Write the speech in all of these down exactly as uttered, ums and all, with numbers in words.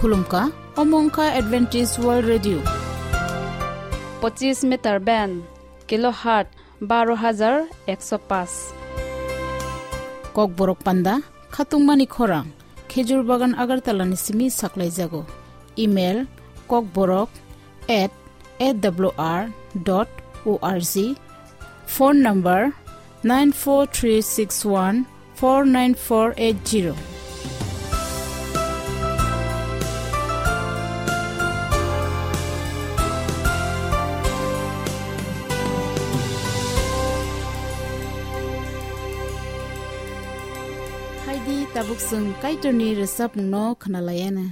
Khulumkha, omo wngkha Adventist World Radio. Pochis meter band, kilohertz baro hajar ekso paanch. Kokborok panda, khatungmani khorang, Khejur Bagan Agartala ni simi saklaijago. Email, kokborok at A W R dot O R G. Phone number, nine four three six one four nine four eight zero. Haidi tabuk chwng Kaitorni rwchapmungno khwnalaiana.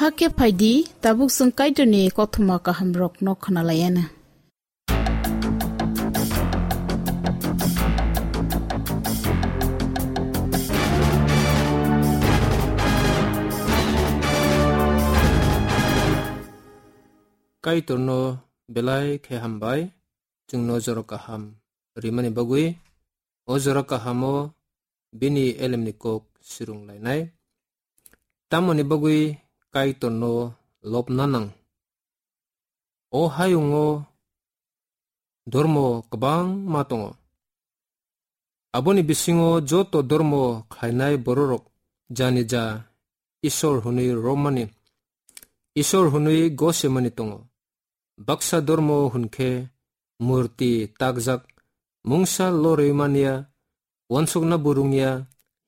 Hakhe phaidi, tabuk chwng Kaitorni kothoma kahamrokno khwnalaiana. Kaitorno belai khe hambai, chwngno jora kaham rimani bagwi. O jora kahamo bini elemni kok sirung lainai. Tamoni bagwi Kaitorno lobna nang? O hayungo dormo kwbangma tongo. Aboni bisingo joto dormo khlainai bororok jani ja Isor hwnwi romani, Isor hwnwi gosemani tongo. Baksa dormo hwn khe murti takjak, mungsa lorwi manya, uansukna burungya,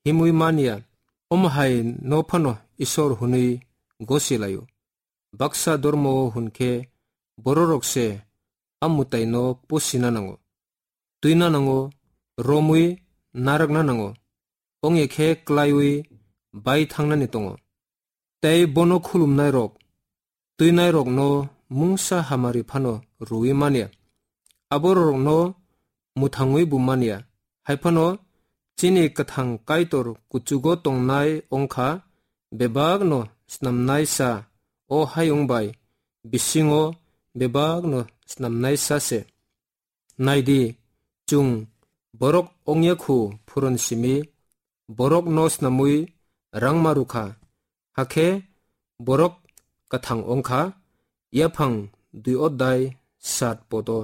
himwi manya, omo hai no phano Isor hwnwi gosi laio. Baksa dormo hwn khe bororok se a mwtaino pusina nango, twina nango, romwi narakna nango, ongya khe klaiwi bai thangnani tongo. Tei bono khulumnairok, twinairokno mungsa hamari phano rwui manya, aborokno mwthangwi bo manya, hai phano chini kwthang Kaitor kuchugo tongnai wngkha, bebakno snamnaisa, o hayung bai bisingo bebakno snamnaisa se. Nai di, chwng borok ongya khu phuron simi, borokno snamwi rangma rwkha, hakhe borok kwthang wngkha, yaphang dui odai sat podo.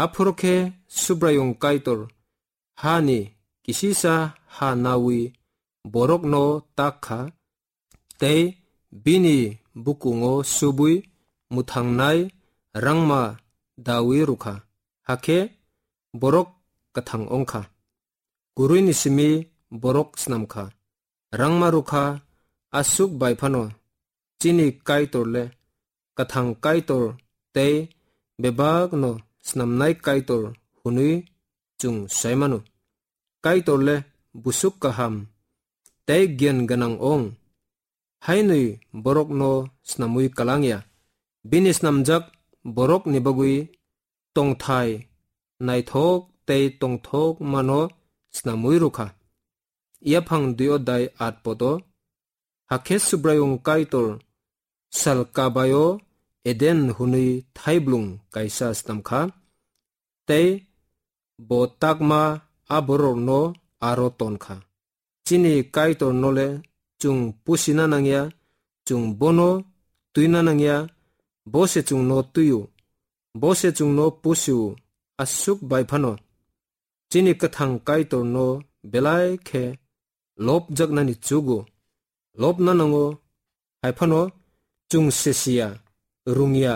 Aphuru khe Subraiyung Kaitor hani kisisa ha nawi borokno tak kha, tei bini bukungo subwi mwthangnai rangma dawi rwkha, hakhe borok kwthang wngkha. Kwrwini simi borok snamkha, rangma rwkha, aswk bai phano chini Kaitor le kwthang Kaitor tei bebakno snamnai Kaitor hwnwi chwng sai mano. Kaitor le busuk kaham tei giyan gwnang ong, hainwi borokno snamwi kwlang ya. Bini snamjak borokni bagwi tongthai naithok tei tongthok mano snamwi rwkha. Yaphang dui odai at podo. Hakhe Subraiyung Kaitor sal kabaio Eden hwnwi thaiblung kaisa snamkha, tei bo takma a bororokno aro tonkha. Chini Kaitorno le chwng pusina nangya, chwng bono twina nangya, bo se chwngno twi-o, bo se chwngno pusi-o, aswk bai phano chini kwthang Kaitorno belai khe lobjaknani chugo, lobna nango, hai phano chwng se siya, rwngya,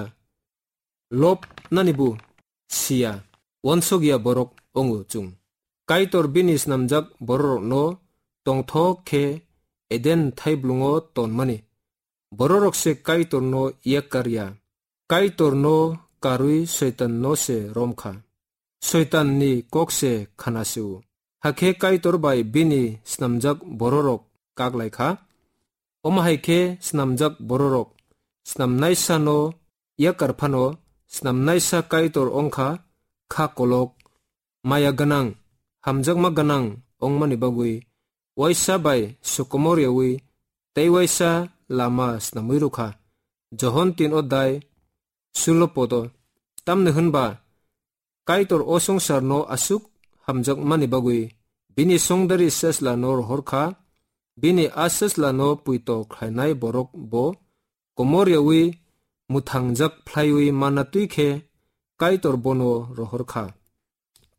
lobnanibo siya, uansukya borok wngo chwng. Kaitor bini snamjak bororokno tongthok khe Eden thaiblungo tonmani. Bororok se Kaitorno yakar ya. Kaitorno karwi Soitanno se romkha. Soitanni kok se khana se-o. Hakhe Kaitor bai bini snamjak bororok kak lai kha. Omo hai khe snamjak bororok snamnaisano yakar phano snamnaisa Kaitor wngkha kha kolok, maya gwnang, hamjakma gwnang wngmani bagwi waisa bai sokomor yawi tei waisa lama snamwi rwkha. Johon tin odai sulo podo. Tamni hwnba Kaitor o swngcharno aswk hamjakmani bagwi bini songdari sesla no rohor kha, bini a sesla no puito khlainai borok bo komor yawi mwthangjak phlaiwi manna twi khe Kaitor bono rohor kha.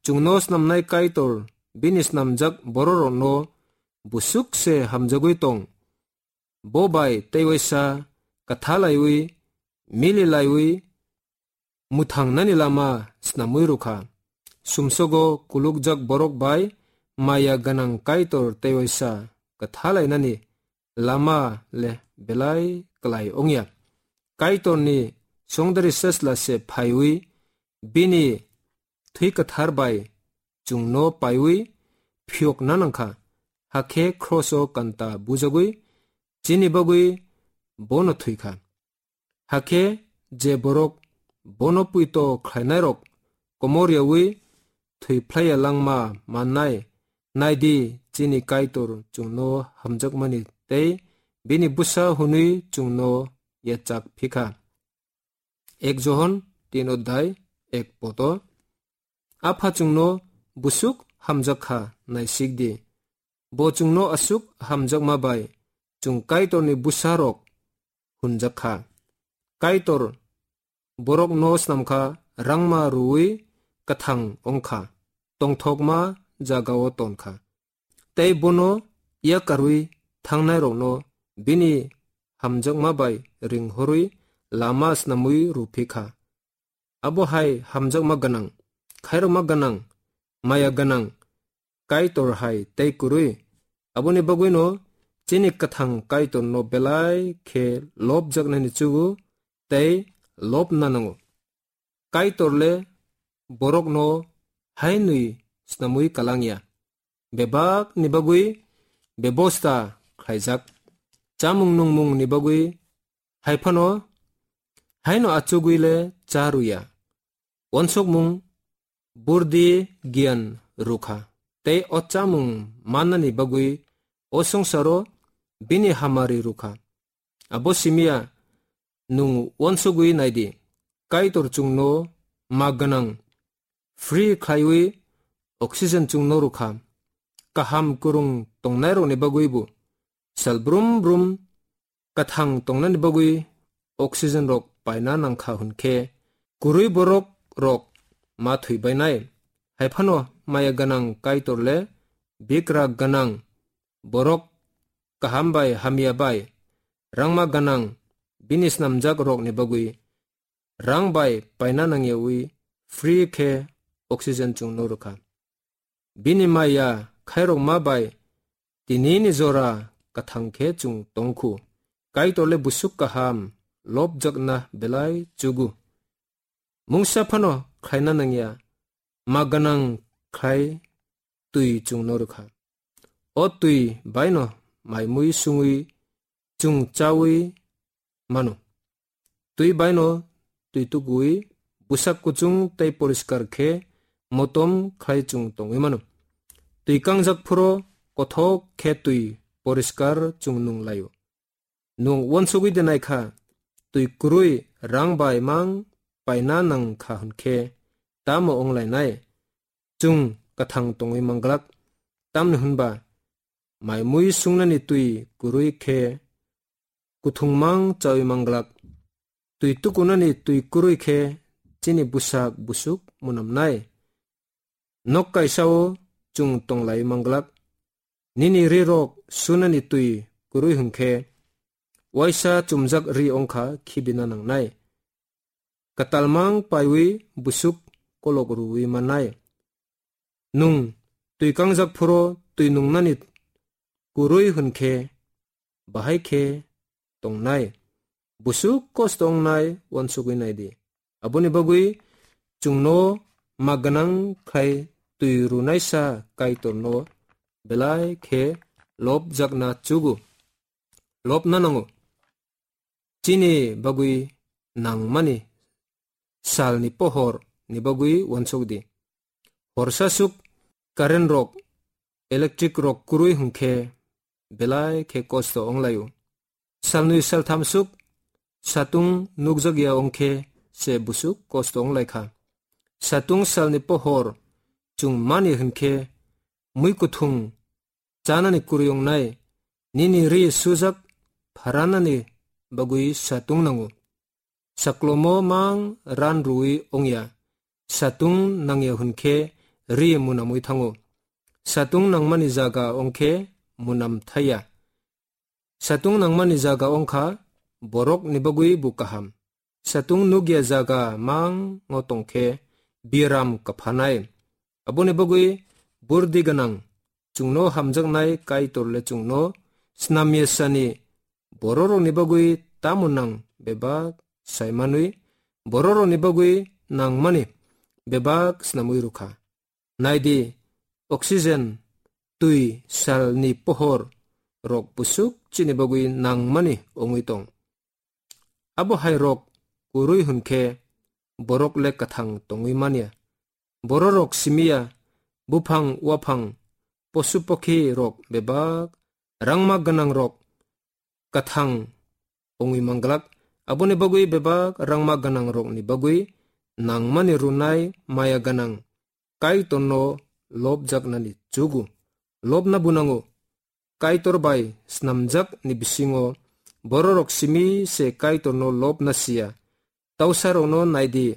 Chwngno snamnai Kaitor bini snamjak bororokno busuk se hamjagwi tong. Bo bai tei waisa kwtha laiwi, mili laiwi, mwthangnani lama snamwi rwkha. Sumsogo kulukjak borok bai maya gwnang Kaitor tei waisa kwtha lainani lama le belai klai wngya. Kaitorni songdari sesla se phaiwi bini thwi kwthar bai chwngno paiwi phiyokna nangkha, hakhe khroso kanta bujagwi chini bagwi bono thwikha. Hakhe je borok bono puito khlainairok komor yawi thwi phlaiya langma mannai, naidi chini Kaitor chwngno hamjakmani tei bini bwsa hwnwi chwngno yachak phikha. ek Johon tin odhai ek poto. Apha chwngno busuk hamjak kha, naisik di. Bo chwngno aswk hamjakma bai chwng Kaitorni bwsarok hwnjak kha. Kaitor borokno snam kha, rangma rwui kwthang wng kha, tongthokma jagao ton kha. Tei bono yakarwi thangnairokno bini hamjakma bai ringhorwi lama snamwi rwphi kha. Abo hai hamjakma gwnang, khairokma gwnang, maya gwnang Kaitor hai tei kwrwi. Aboni bagwino chini kwthang Kaitorno belai khe lobjaknani chugo tei lobna nango. Kaitor le borokno hainwi snamwi kalang ya. Bebak ni bagwi bebosta khlaijak. Chamung nungmung ni bagwi hai phano haino achugwi le cha rw ya. Uansukmung burdi giyan rw kha. Tei o chamung mannani bagwi o swngcharo bini hamari rw kha. Abo simi ya, nwng uansugwi nai di, Kaitor chwngno ma gwnang free khlaiwi oxygen chwngno rw kha. Kaham kwrwng tongnairokni bagwi bo sal brum brum kwthang tongnani bagwi oxygen rok paina nang kha hwn khe, kwrwi borok rok ma thwi bainai. Hai phano maya gwnang Kaitor le bikra gwnang borok kaham bai hamya bai rangma gwnang bini snamjak rokni bagwi rang bai paina nangyawi free khe oxygen chwngno rw kha. Bini maya khairokma bai tinini jora kwthang khe chwng tong khu. Kaitor le busuk kaham lobjakna belai chugo. Mungsa phano khlaina nangya, ma gwnang khlai twi chwngno rw kha. O twi baino mai mui sungwi chwng chawi mano. Twi baino twi tukuwi bwsak kuchung tei poriskar khe motom khlai chwng tongwi mano. Twi kangjak phuro kothok khe twi poriskar chwng nung laio. Nwng uansugwi de nai kha, twi kwrwi rang bai mang paina nang kha hwn khe tamo wng lainai? Chwng kwthang tongwi mang glak, tamni hwn ba mai mui sungnani twi kwrwi khe kuthung mang chawi mang glak. Twi tukunani twi kwrwi khe chini bwsak busuk munamnai. Nok kaisa-o chwng tong lai mang glak. Nini ri rok sunani twi kwrwi hwn khe waisa chumjak ri wng kha khibina nangnai. Kwtal mang paiwi busuk kolok rwui mannai. Nwng twi kangjak phuro twi nungnani kwrwi hwn khe bahai khe tongnai. Busuk kosto wngnai uansugwi nai di. Aboni bagwi chwngno ma gwnang khlai twi rwnaisa Kaitorno belai khe lobjakna chugo, lobna nango. Chini bagwi nangmani salni pohor ni bagwi uansuk di. Horsa suk current rok, electric rok kwrwi hwn khe belai khe kosto wng lai-o. Salnwi saltham suk satung nukjakya wng khe se busuk kosto wng lai kha. Satung salni pohor chwng mani hwn khe mui kuthung chanani kwrwi wngnai, nini ri sujak pharanani bagwi satung nango. Saklomo mang ran rwui wngya. Satung nangya hwn khe ri munamwi thango. Satung nangmani jaga wng khe munam thaiya. Satung nangmani jaga wng kha borokni bagwi bo kaham. Satung nukya jaga mango tong khe biaram kaphanai. Aboni bagwi burdi gwnang chwngno hamjaknai Kaitor le chwngno snamya sani bororokni bagwi tamo nang bebak sai manwi, bororokni bagwi nangmani bebak snamwi rw kha. Nai di, oxygen, twi, salni pohor rok busuk chini bagwi nangmani wngwi tong. Abo hai rok kwrwi hwn khe borok le kwthang tongwi man ya. Bororok simi ya, buphang uaphang, posu pokhi rok bebak, rangma gwnang rok kwthang wngwi man glak, Aboni bagwi bebak rangma gwnangrokni bagwi nangmani rwnai maya gwnang Kaitorno lobjaknani chugo. Lobna bunango. Kaitor bai snamjakni bisingo bororok simi se Kaitorno lobna siya. Tausarokno naidi,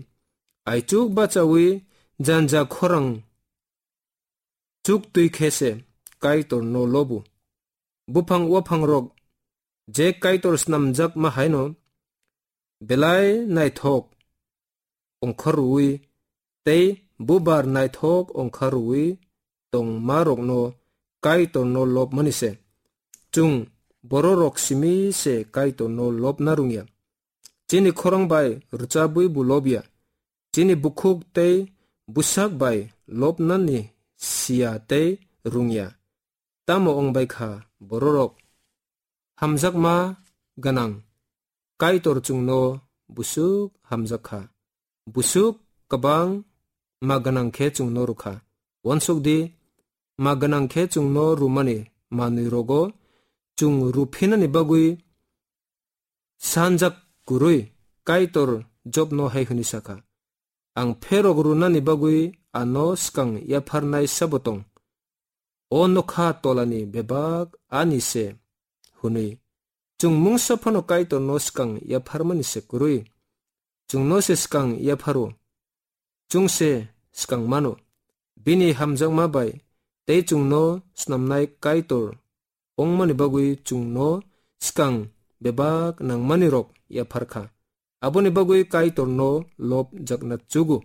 aichuk bachaui janja khorang chuk twi khe se Kaitorno lobu. Buphang waphangrok je Kaitor snamjakma haino belai naithok ongkhorwi tei bubar naithok ongkhorwi tongmarokno Kaitorno lobmani se. Chwng bororok simi se Kaitorno lobna rwngya. Chini khorang bai rwchabwi bo lobya. Chini bukhuk tei bwsak bai lobnani siya tei rwngya. Tamo wng bai kha bororok? Hamjakma gwnang Kaitor chwngno busuk hamjak kha. Busuk kwbang ma gwnang khe chwngno rw kha. Uansuk di, ma gwnang khe chwngno rwmani manwi rogo chwng rw phinani bagwi sanjak kwrwi Kaitor Jobno hai hwnwi sa kha, "Ang pherok rwnani bagwi ano swkang yapharnai sabo tong? O nokha tolani bebak ani se," hwnwi. Chwng mungsa phano Kaitorno swkang yapharmani se kwrwi. Chwngno se swkang yapharo. Chwng se swkang mano. Bini hamjakma bai tei chwngno snamnai Kaitor wngmani bagwi chwngno swkang bebak nangmani rok yaphar kha. Aboni bagwi Kaitorno lob jakna chugo.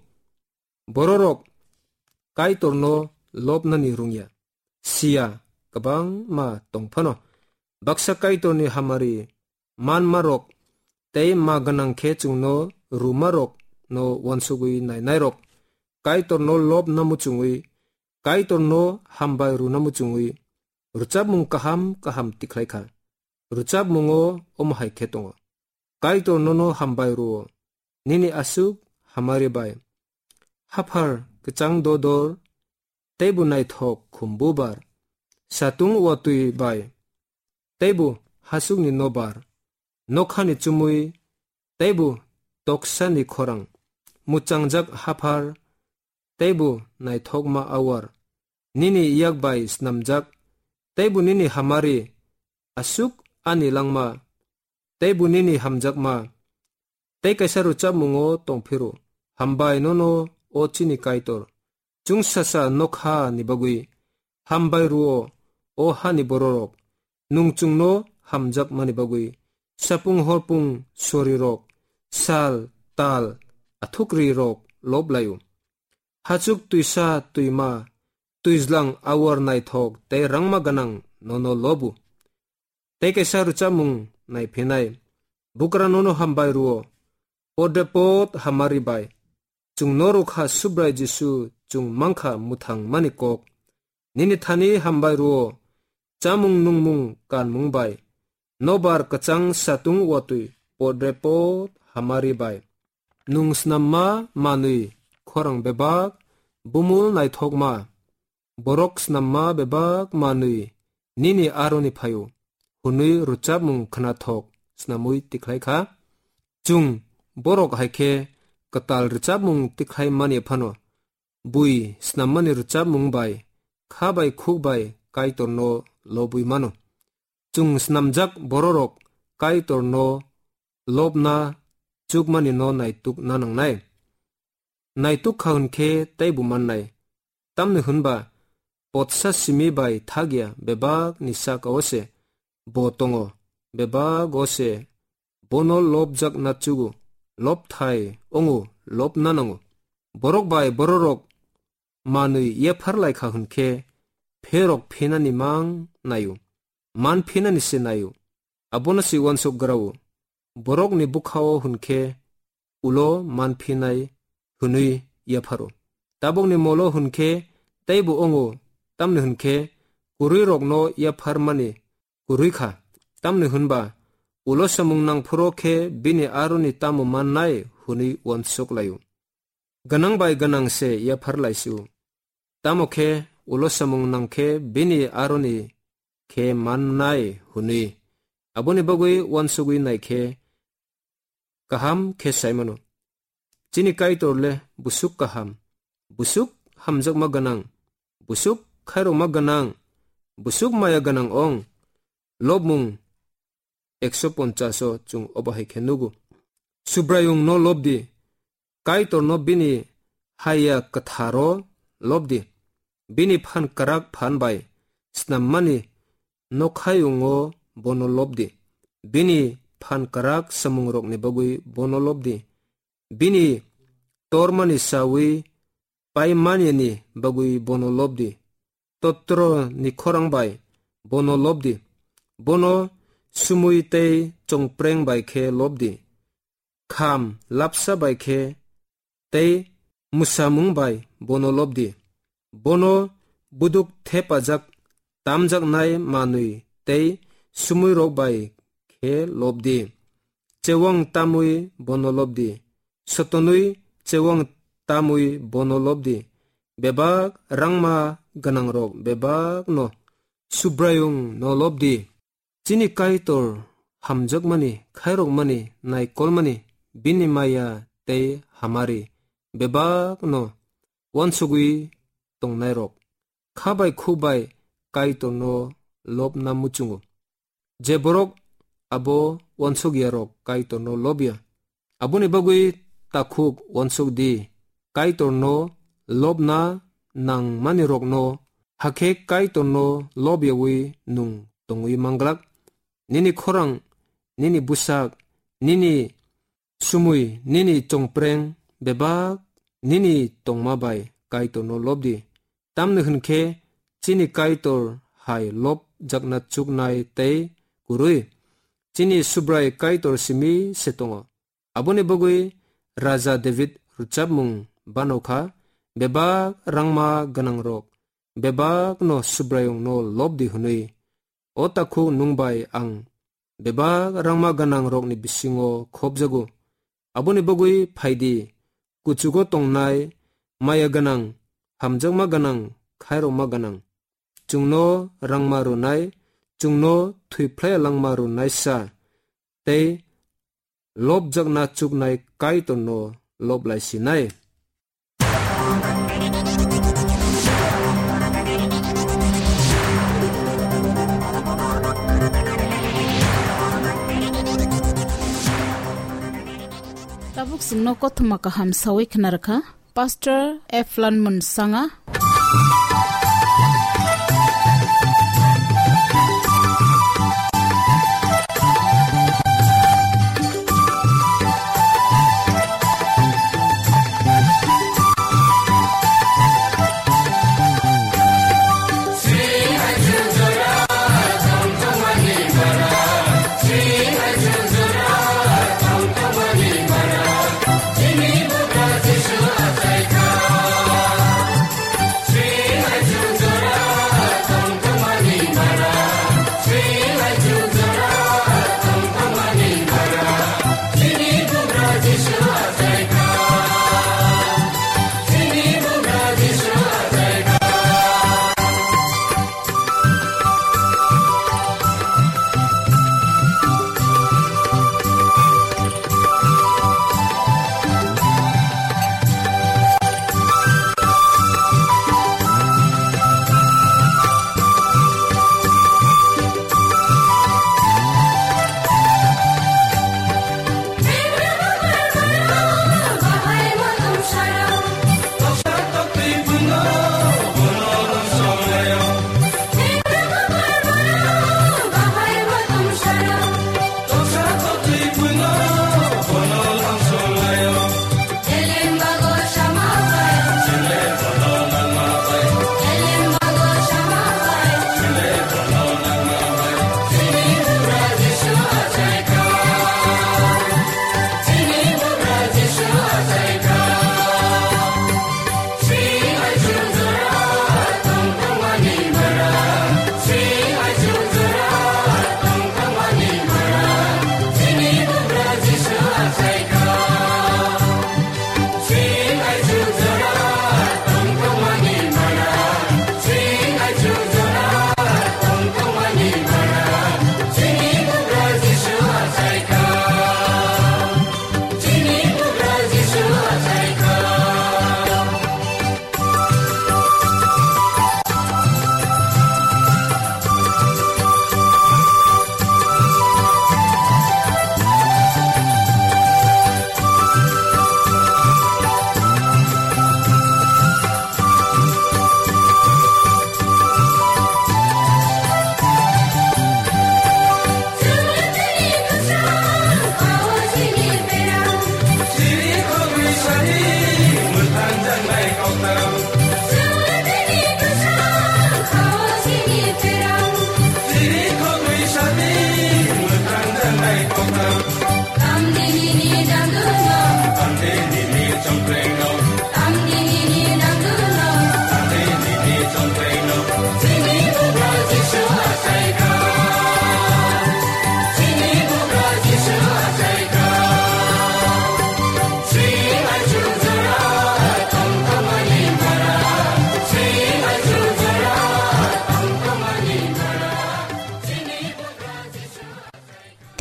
Bororok Kaitorno lobnani rwngya. Siya kwbangma tong phano. Baksa Kaitorni hamari manmarok tei ma gwnang khe chwngno rwmarokno uansugwi nainairok Kaitorno lobna muchungwi, Kaitorno hambai rwna muchungwi, rwchapmung kaham kaham tikhlai kha. Rwchapmungo omo hai khe tongo: Kaitor nono hambai rwo, nini aswk hamari bai. Haphar kwchang dodor, teibo naithok khumbubar, satung watwi bai, teibo hasukni nobar, nokhani chumui, teibo toksani khorang, muchangjak haphar, teibo naithokma awar, nini yak bai snamjak, teibo nini hamari, aswk ani langma, teibo nini hamjakma. Tei kaisa rwchapmungo tongphiro: Hambai nono, o chini Kaitor, chwngsasa nokha ni bagwi. Hambai rwo, o hani bororok, nwng chwngno hamjakmani bagwi. Sapung horpung sorirok, sal, tal, athukrirok lob laio. Hachuk twisa twima, twijlang awar naithok tei rangma gwnang nono lobu. Tei kaisa rwchapmung naiphinai: Bukra nono hambai rwo, podre pod hamari bai. Chwngno rwkha Subrai Jisu, chwng mankha mwthangmani kok. Nini thani hambai rwo, chamung nungmung kanmung bai. Nobar kwchang satung watwi podre pod hamari bai. Nwng snamma manwi khorang bebak, bumul naithokma, borok snamma bebak manwi nini aroni phaio, hwnwi rwchapmung khnathok snamwi tikhlai kha. Chwng borok hai khe kwtal rwchapmung tikhlai mani phano, bui snammani rwchapmung bai kha bai khuk bai Kaitorno lobwi mano. Chwng snamjak bororok Kaitorno lobna chukmani no naituk na nangnai. Naituk kha hwn khe teibo mannai. Tamni hwn ba potsa simi bai thak ya bebak ni saka o se bo tongo, bebak o se bono lobjak na chugo, lobthai ongo, lobna nango. Borok bai bororok manwi yephar lai kha hwn khe pherok phinani mang naio, man phinani se naio. Abono se uansuk grao, borokni bwkha-o hwn khe ulo man phinai hwnwi yapharo. Tabukni molo hwn khe teibo ongo, tamni hwn khe kwrwirokno yapharmani kwrwi kha, tamni hwn ba ulo samung nang phuru khe bini aroni tamo mannai hwnwi uansuk laio. Gwnang bai gwnang se yaphar lai si-o, tamo khe ulo samung nang khe bini aroni khe mannai hwnwi. Aboni bagwi uansugwi nai khe kaham khe sai mano. Chini Kaitor le busuk kaham, busuk hamjakma gwnang, busuk khairokma gwnang, busuk maya gwnang ong. Lobmung ekso ponchash o chwng obo hai khe nugo. Subraiyung no lob di, Kaitor no bini haya kwthar o lob di, bini phan kwrak phan bai snam mani nokhayung o bono lob di, bini phan kwrak samung rok ni bagwi bono lob di, bini tormani sawi pai manyani bagwi bono lob di. Totro ni khorang bai bono lob di. Bono sumui tei chongpreng bai khe lob di. Kham lapsa bai khe tei mwsamung bai bono lob di. Bono buduk thepajak tamjaknai manwi tei sumui rok bai khe lob di. Chewang tamwi bono lob di. Sotonwi chewang tamwi bono lob di. Bebak rangma gwnang rok bebak no Subraiyung no lob di. Chini Kaitor hamjakmani, khairokmani, naikolmani, bini maya tei hamari bebak no wansugwi tongnai rok kha bai khuk bai Kaitor no lobna muchungo. Je borok abo wansuk ya rok Kaitor no lob ya. Aboni bagwi takhuk wansuk di, Kaitor no lobna nang mani rok no, hakhe Kaitor no lob yawi nung tongwi manglak. Nini khorang, nini bwsak, nini sumui, nini chongpreng bebak nini tongma bai Kaitor no lob di. Tamni hwn khe chini Kaitor hai lob jakna chuknai tei kwrwi. Chini Subrai Kaitor simi se tongo. Aboni bagwi Raja David rwchapmung bano kha, bebak rangma gwnang rok bebak no Subraiyung no lob di hwnwi. O takhuk nwng bai ang bebak rangma gwnang rokni bisingo khopjago. Aboni bagwi phai di, kuchugo tongnai, maya gwnang, hamjakma gwnang, khairokma gwnang. Chwngno rangma rwnai, chwngno thwiphlai langma rwnai sa, tei lobjakna chuknai Kaitorno lob lai sinai. Tabuk chwngno kothoma kaham sawi khna rwkha Pastor F Lanmon Sanga.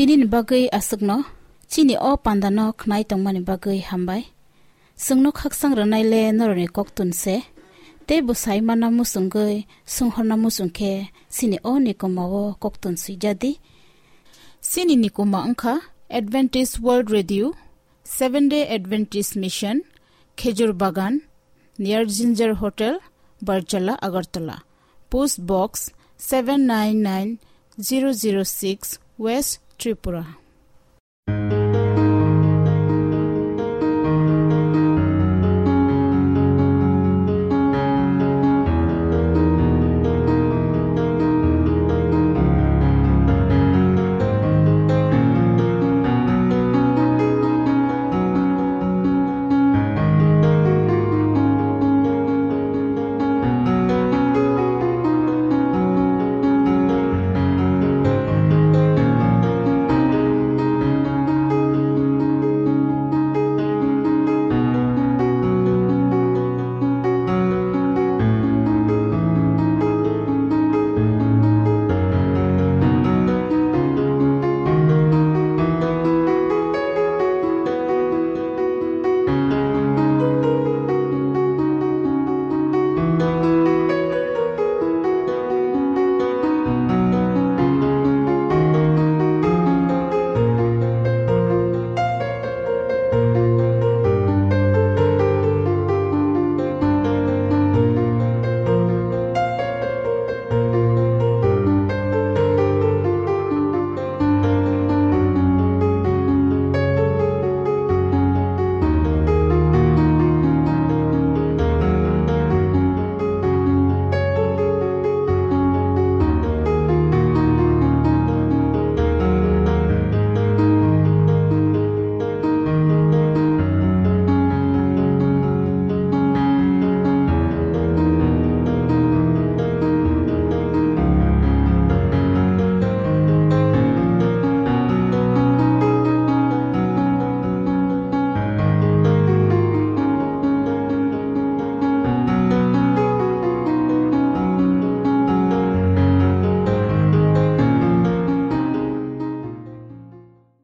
Nini bagwi aswkno chini o pandano khnai tongmani bagwi hambai. Chwngno khakchang rwnaile norokni koktun se, tei bwsai mana muchungwi swnghorna muchung khe chini o nikoma o koktun swijadi. Chini nikoma wngkha Adventist World Radio, Seventh Day Adventist Mission, Khejur Bagan, near Ginger Hotel, Barjala, Agartala. Post Box seven nine nine zero zero six, West Tripura.